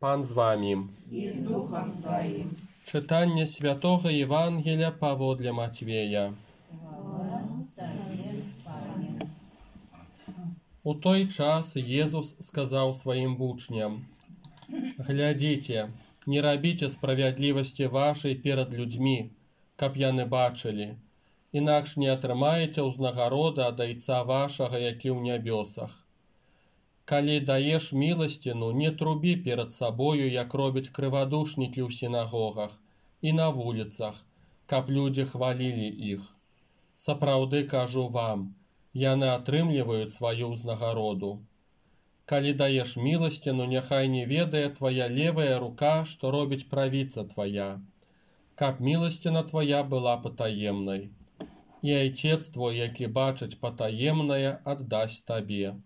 Пан з вами. И с Духом Твоим. Читання Святого Євангелія паводле Матвея. У той час Езус сказал своим вучням: «Глядите, не робите справедливости вашей перед людьми, каб яны бачили, інакш не атрымаеце ўзнагароды ад Айца вашага, які ў нябёсах. Калі даеш міласціну, не трубі перед сабою, як робяць крывадушнікі ў сінагогах і на вуліцах, каб людзі хвалілі іх. Сапраўды кажу вам, яны атрымліваюць сваю ўзнагароду. Калі даеш міласціну, няхай не ведае твая левая рука, што робіць правіца твая, каб міласціна твая была патаемнай. І Айцец твой, які бачыць патаемнае, аддасць табе.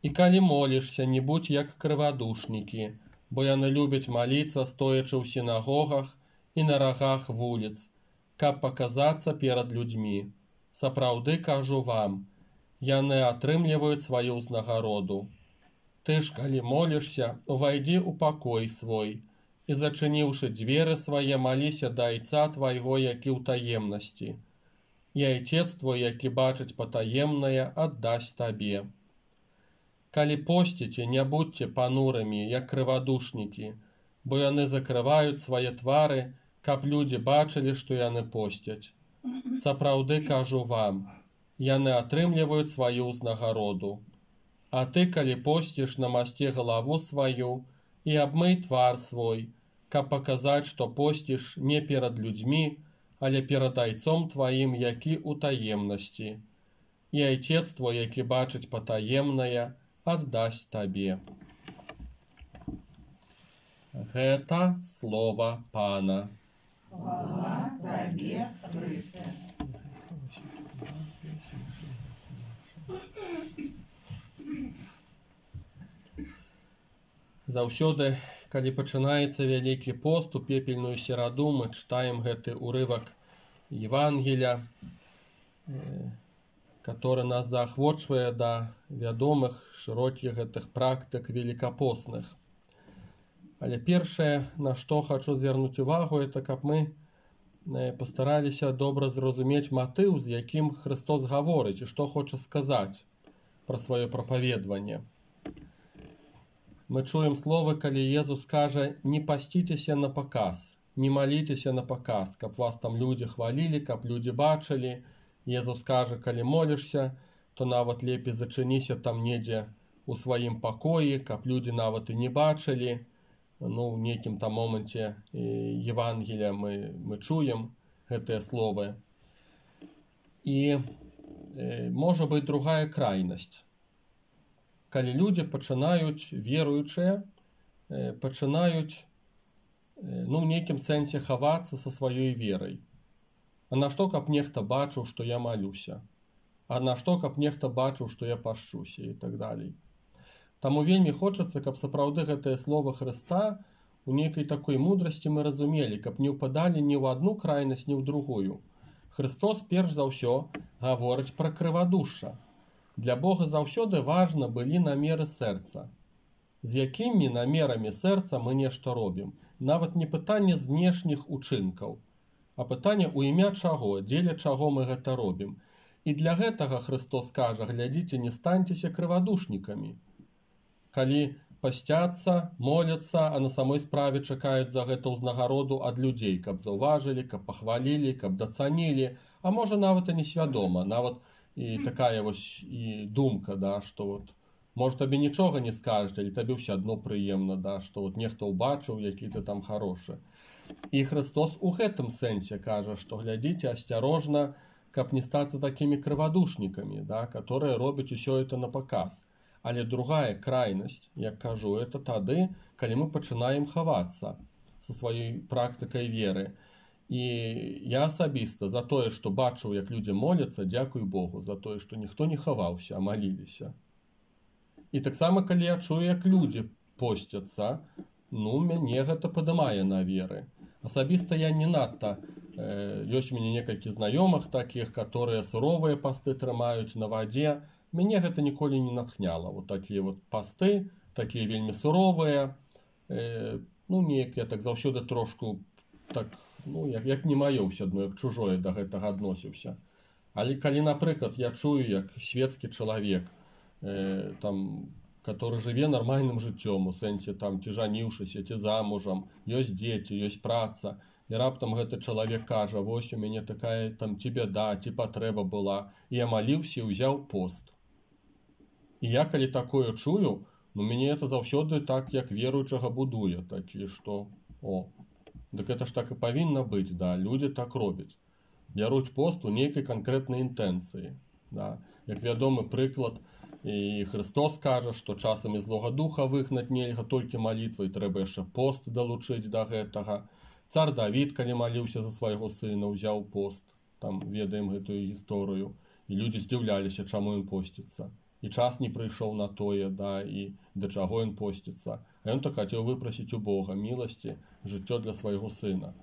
І калі молішся, не будь як крывадушнікі, бо яны любяць маліцца, стоячы ў сінагогах і на рагах вуліц, каб паказацца перад людзьмі. Сапраўды кажу вам, яны атрымліваюць сваю ўзнагароду. Ты ж, калі молішся, увайдзі ў пакой свой, і, зачыніўшы дзверы свае, маліся да Айца твайго, які ў таемнасці. І Айцец твой, які бачыць патаемнае, аддасць табе. Калі посціце, не будьце панурымі, як крывадушнікі, бо яны закрываюць свае твары, каб людзі бачылі, што яны посцяць. Сапраўды кажу вам, яны атрымліваюць сваю ўзнагароду. А ты, калі посціш, намасці галаву сваю і абмый твар свой, каб паказаць, што посціш не перад людзьмі, але перад Айцом тваім, які ў таемнасці. І Айцец твой, які бачыць патаемнае, аддасць табе». Гэта слова Пана. Хвала Тебе, Христе. Заўсёды, калі пачынаецца Вялікі пост, у пепельную сераду мы чытаем гэты урывак Евангелія, который нас заахвочвае да вядомых шырокіх гэтых практык великапостных. Але першае, на што хачу звярнуць увагу, это каб мы пастараліся добра зразумець матыў, з якім Христос гаворыць і што хоча сказаць пра сваё прапаведванне. Мы чуем словы, калі Езус кажа: «Не пасціцеся на паказ, не маліцеся на паказ, каб вас там людзі хвалілі, каб людзі бачылі». Езус кажа, калі молішся, то нават лепей зачыніся там недзе у сваім пакоі, каб людзі нават і не бачылі. Ну, в нейкім там моменце Евангелія мы чуем гэтыя словы. І можа быць другая крайнасць. Калі людзі пачынаюць, веруючыя, пачынаюць, ну, в нейкім сэнсе хавацца са сваёй верай. А на што, каб нехта бачыў, што я малюся? А на што, каб нехта бачыў, што я пашчуся? І так далей. Таму вельмі хочацца, каб сапраўды гэтае слова Хрыста у нейкай такой мудрасці мы разумелі, каб не ўпадалі ні ў адну крайнасць, ні ў другую. Христос перш за ўсё гаворыць пра крывадушша. Для Бога заўсёды важна былі намеры сэрца. З якімі намерамі сэрца мы нешта робім? Нават не пытанне знешніх учынкаў, а пытанне у імя чаго, дзеля чаго мы гэта робім. І для гэтага Христос кажа: глядзіце, не станьцеся крывадушнікамі. Калі пасцяцца, моляцца, а на самой справе чакаюць за гэта ўзнагароду ад людзей, каб заўважылі, каб пахвалілі, каб дацанілі, а можа нават і несвядома, нават і такая вось і думка, да, што вот, можа табе нічога не скажуць, але табе ўсё адно прыемна, да, што вот нехта ўбачыў, які ты там харошы. І Христос у гэтым сэнсе кажа, што глядзіце асцярожна, каб не стацца такімі крывадушнікамі, да, которые робяць усё это на паказ. Але другая крайнасць, як кажу, это тады, калі мы пачынаем хавацца са сваёй практыкай веры. І я асабіста за тое, што бачыў, як людзі моляцца, дзякуй Богу за тое, што ніхто не хаваўся, а маліліся. І таксама, калі я чую, як людзі посцяцца, ну, мяне гэта падымае на веры. Асабіста я не надта, ёсць у мяне некалькі знаёмых такіх, которые суровыя пасты трымаюць на вадзе. Мяне гэта ніколі не натхняла. Вот такія вот пасты, такія вельмі суровыя, ну неяк я так заўсёды трошку так, ну як не маё ўсё адно, як чужое да гэтага адносіўся. Але калі, напрыклад, я чую, як светскі чалавек, там, который жыве нармальным жыццём, у сэнсе там ці жаніўшыся, ці замужам, ёсць дзеці, ёсць праца, і раптам гэты чалавек кажа: вось у мяне такая там ці бяда, ці патрэба была, і я маліўся і ўзяў пост. І я калі такое чую, ну мяне это заўсёды так як веруючага будуе, такі што дык это ж так і павінна быць, да, людзі так робяць. Бяруць пост у нейкай канкрэтнай інтэнцыі. Да. Як вядомы прыклад, і Христос кажа, што часам і злога духа выгнаць нельга толькі малітвай, трэба яшчэ пост далучыць да гэтага. Цар Давід, калі маліўся за свайго сына, ўзяў пост. Там ведаем гэтую гісторыю. І людзі здзіўляліся, чаму ён посціцца. І час не прыйшоў на тое, да, і да чаго ён посціцца. А ён так хацеў выпрасіць у Бога міласці, жыццё для свайго сына.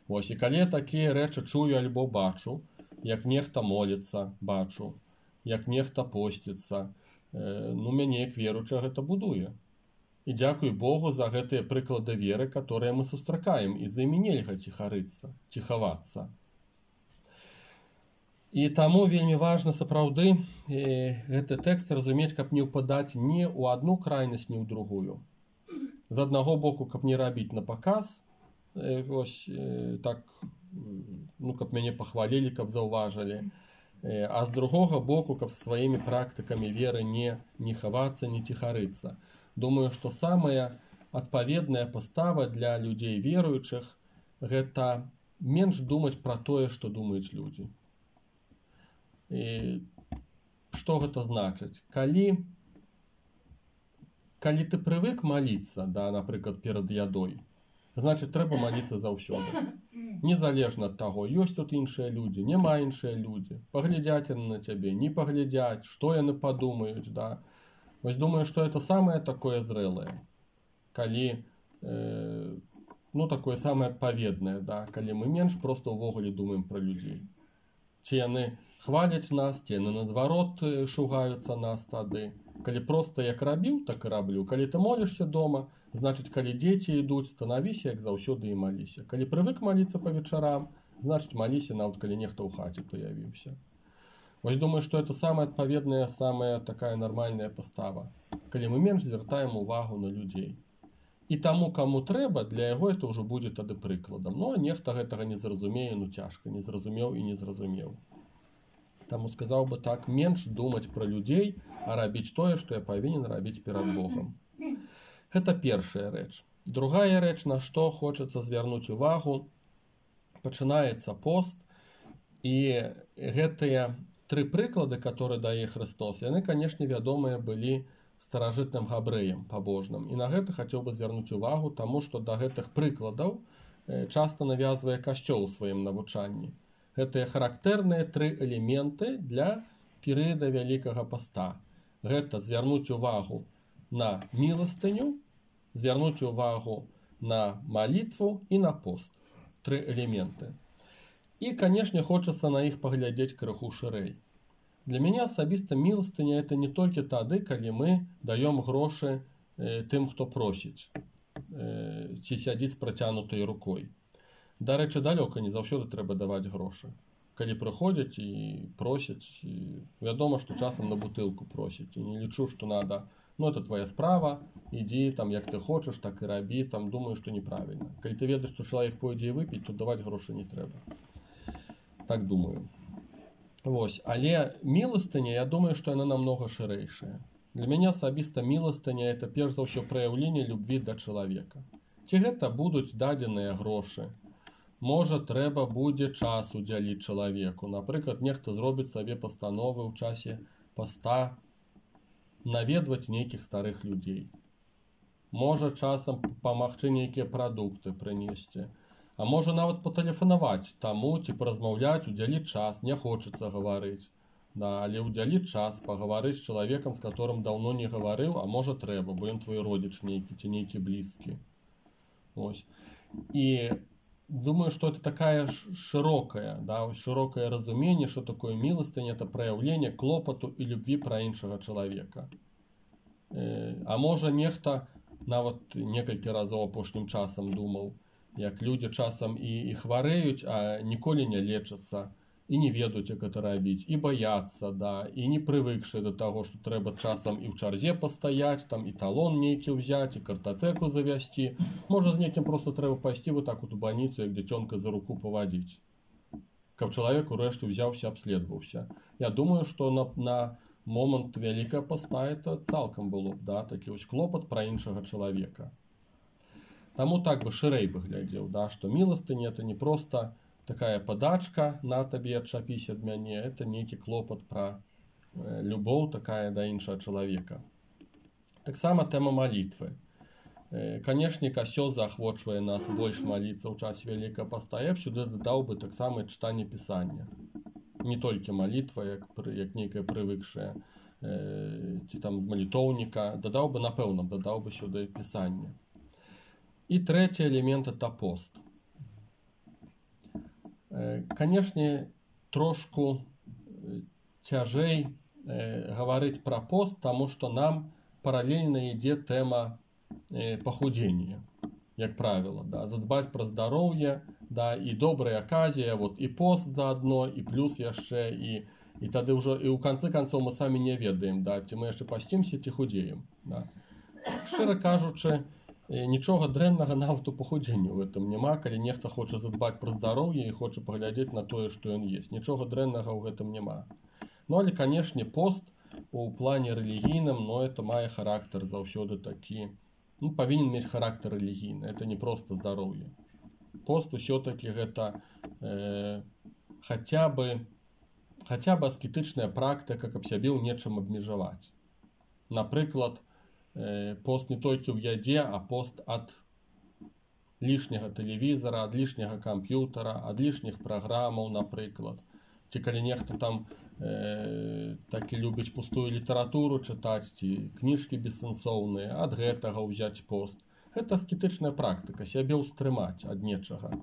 Вось, і калі я такія рэчы чую альбо бачу, як нехта моліцца, бачу, як нехта посціцца, ну мяне як веруючага гэта будуе. І дзякуй Богу за гэтыя прыклады веры, которые мы сустракаем, і за імі нельга ціхарыцца, ці хавацца. І таму вельмі важна сапраўды гэты тэкст разумець, каб не ўпадаць ні ў адну крайнасць, ні ў другую. З аднаго боку, каб не рабіць на паказ, вось так, ну каб мяне пахвалілі, каб заўважылі, а з другога боку, каб сваімі практыкамі веры не хавацца, не ціхарыцца. Думаю, што самая адпаведная пастава для людзей веруючых гэта менш думаць пра тое, што думаюць людзі. І што гэта значыць? Калі ты прывык маліцца, да, напрыклад, перад ядой, значыць, трэба маліцца заўсёды. Незалежна ад таго, ёсць тут іншыя людзі, няма іншыя людзі, паглядзяць яны на цябе, не паглядзяць, што яны падумаюць, да. Вось думаю, што это самае такое зрэлае. Калі, ну, такое самае адпаведнае, да, калі мы менш проста ўвогуле думаем пра людзей. Ці яны хваляць нас, ці яны наадварот шугаюцца нас тады. Калі проста як рабіў, так і раблю. Калі ты молішся дома, значыць, калі дзеці ідуць, станавіся, як заўсёды і маліся. Калі прывык маліцца па вечарам, значыць, маліся, нават калі нехта ў хаце паявіўся. Вось думаю, што это самая адпаведная, самая такая нармальная пастава. Калі мы менш звяртаем увагу на людзей. І таму, каму трэба, для яго это ўжо будзе тады прыкладам. Ну, а нехта гэтага не зразумее, ну цяжка, не зразумеў і не зразумеў. Таму сказаў бы так, менш думаць пра людзей, а рабіць тое, што я павінен рабіць перад Богам. Гэта першая рэч. Другая рэч, на што хочацца звярнуць увагу, пачынаецца пост, і гэтыя тры прыклады, которые дае Христос, яны, канешне, вядомыя былі старажытным габрэям пабожным. І на гэта хацеў бы звярнуць увагу, таму што да гэтых прыкладаў часта навязвае Касцёл у сваім навучанні. Гэтыя характэрныя тры элементы для перыяда Вялікага паста. Гэта звярнуць увагу на міластыню, звярнуць увагу на малітву і на пост. Тры элементы. І, канешне, хочацца на іх паглядзець крыху шырэй. Для мяне асабіста міластыня это не толькі тады, калі мы даём грошы тым, хто просіць, ці сядзіць з працянутай рукой. Дарэчы, далёка не заўсёды трэба даваць грошы. Калі прыходзяць і просяць, і вядома, што часам на бутылку просяць. І не лічу, што надо, ну это твоя справа, ідзі там як ты хочаш, так і рабі, там думаю, што неправільна. Калі ты ведаеш, што чалавек пойдзе і выпіць, то даваць грошы не трэба. Так думаю. Вось, але міластыня, я думаю, што яна намнога шырэйшая. Для мяне асабіста міластыня это перш за ўсё праяўленне любві да чалавека. Ці гэта будуць дадзеныя грошы? Можа, трэба будзе час удзяліць чалавеку. Напрыклад, нехта зробіць сабе пастановы ў часе паста наведваць нейкіх старых людзей. Можа, часам памагчы нейкія прадукты прынесці. А можа, нават патэлефанаваць таму, ці паразмаўляць, удзяліць час, не хочацца гаварыць. Да, але удзяліць час, пагаварыць з чалавекам, з которым даўно не гаварыў, а можа трэба, бо ён твой родзіч нейкі ці нейкі блізкі. Ось. І думаю, что это такая широкое, да, широкое разуменне, что такое милостыня, это проявление клопоту и любви про іншага человека. А можа нехта нават некалькі разоў апошнім часам думаў, як людзі часам і хварэюць, а ніколі не лечацца, і не ведаюць, як гэта рабіць, і баяцца, да, і не прывыкшы да таго, што трэба часам і ў чарзе пастаяць, там і талон нейкі ўзяць, і картатэку завязці. Можа, з некім проста трэба пайсці вот так вот у бальніцу, як дзіцёнка за руку павадзіць, каб чалавек урэшце ўзяўся, абследаваўся. Я думаю, што на момант Вялікага Поста это цалкам было б, да, такі вось клопат пра іншага чалавека. Таму так бы шырэй бы глядзеў, да, што міластыня это не проста такая падачка на табе, адчапісь ад мяне, это нейкі клопат пра любоў такая да іншага чалавека. Таксама тэма малітвы. Канешне, касцёл заахвочвае нас больш маліцца ў час Вялікага Поста. Я б сюды дадаў бы таксама чытанне пісання. Не толькі малітва, як нейкая прывыкшая, ці там з малітоўніка, напэўна, дадаў бы сюды пісанне. І трэці элемент это пост. Канешне, трошку цяжэй гаварыць пра пост, таму што нам паралельна ідзе тэма пахудзення, як правіла, да, задбаць пра здароўе, да, і добрая аказія, вот і пост заадно, і плюс яшчэ, і тады ўжо і ў канцы канцоў мы самі не ведаем, да, ці мы яшчэ пасцімся, ці худзеем. Да. Шчыра кажучы, нічога дрэннага нават у пахудзенні ў гэтым няма, калі нехта хоча задбаць пра здароўе і хоча паглядзець на тое, што ён есць. Нічога дрэннага ў гэтым няма. Ну, але, канешне, пост у плане рэлігійным, но это мае характар заўсёды такі, ну, павінен мець характар рэлігійны, это не проста здароўе. Пост усё-таки гэта хаця бы аскетычная практыка, каб сябе ў нечым абмежаваць. Напрыклад, пост не толькі ў ядзе, а пост ад лішняга тэлевізара, ад лішняга камп'ютара, ад лішніх праграмаў, напрыклад. Ці калі нехта там такі любіць пустую літаратуру чытаць, ці кніжкі бессэнсоўныя, ад гэтага ўзяць пост. Гэта аскетычная практыка, сябе ўстрымаць ад нечага.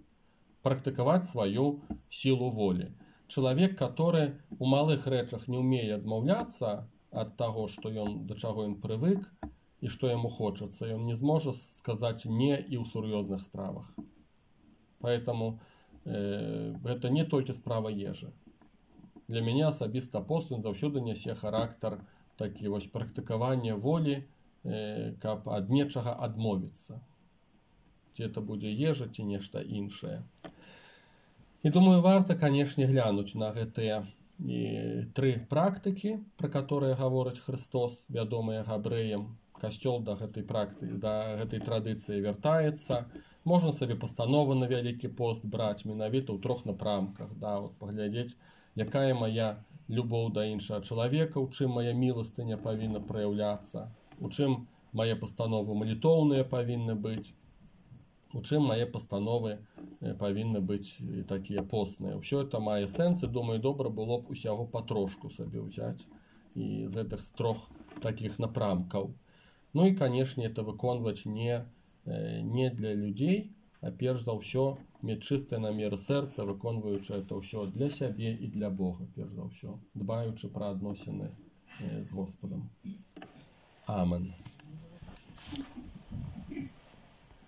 Практыкаваць сваю сілу волі. Чалавек, который у малых рэчах не ўмее адмаўляцца ад таго, што да чаго ён прывык, і што яму хочацца, ён не зможа сказаць не і ў сур'ёзных справах. Поэтому гэта не толькі справа ежы. Для мяне асабіста пост ён заўсёды нясе характар такі вось практыкавання волі, каб ад нечага адмовіцца. Ці это будзе ежа, ці нешта іншае. І думаю, варта, канешне, глянуць на гэтыя тры практыкі, пра которые гаворыць Христос, вядомыя габрэям. Касцёл да гэтай практыкі, да гэтай традыцыі вяртаецца. Можна сабе пастановы на Вялікі пост браць менавіта ў трох напрамках, да, вот паглядзець, якая мая любоў да іншага чалавека, у чым мая міластыня павінна праяўляцца, у чым мае пастановы малітоўныя павінны быць, у чым мае пастановы павінны быць такія постныя. Усё это мае сэнс, і думаю, добра было б усяго патрошку сабе ўзяць і з гэтых трох такіх напрамкаў. Ну і, канешне, это выконваць не для людзей, а перш за ўсё мець чыстыя намеры сэрца, выконваючы это ўсё для сябе і для Бога, перш за ўсё, дбаючы пра адносіны з Господам. Амен.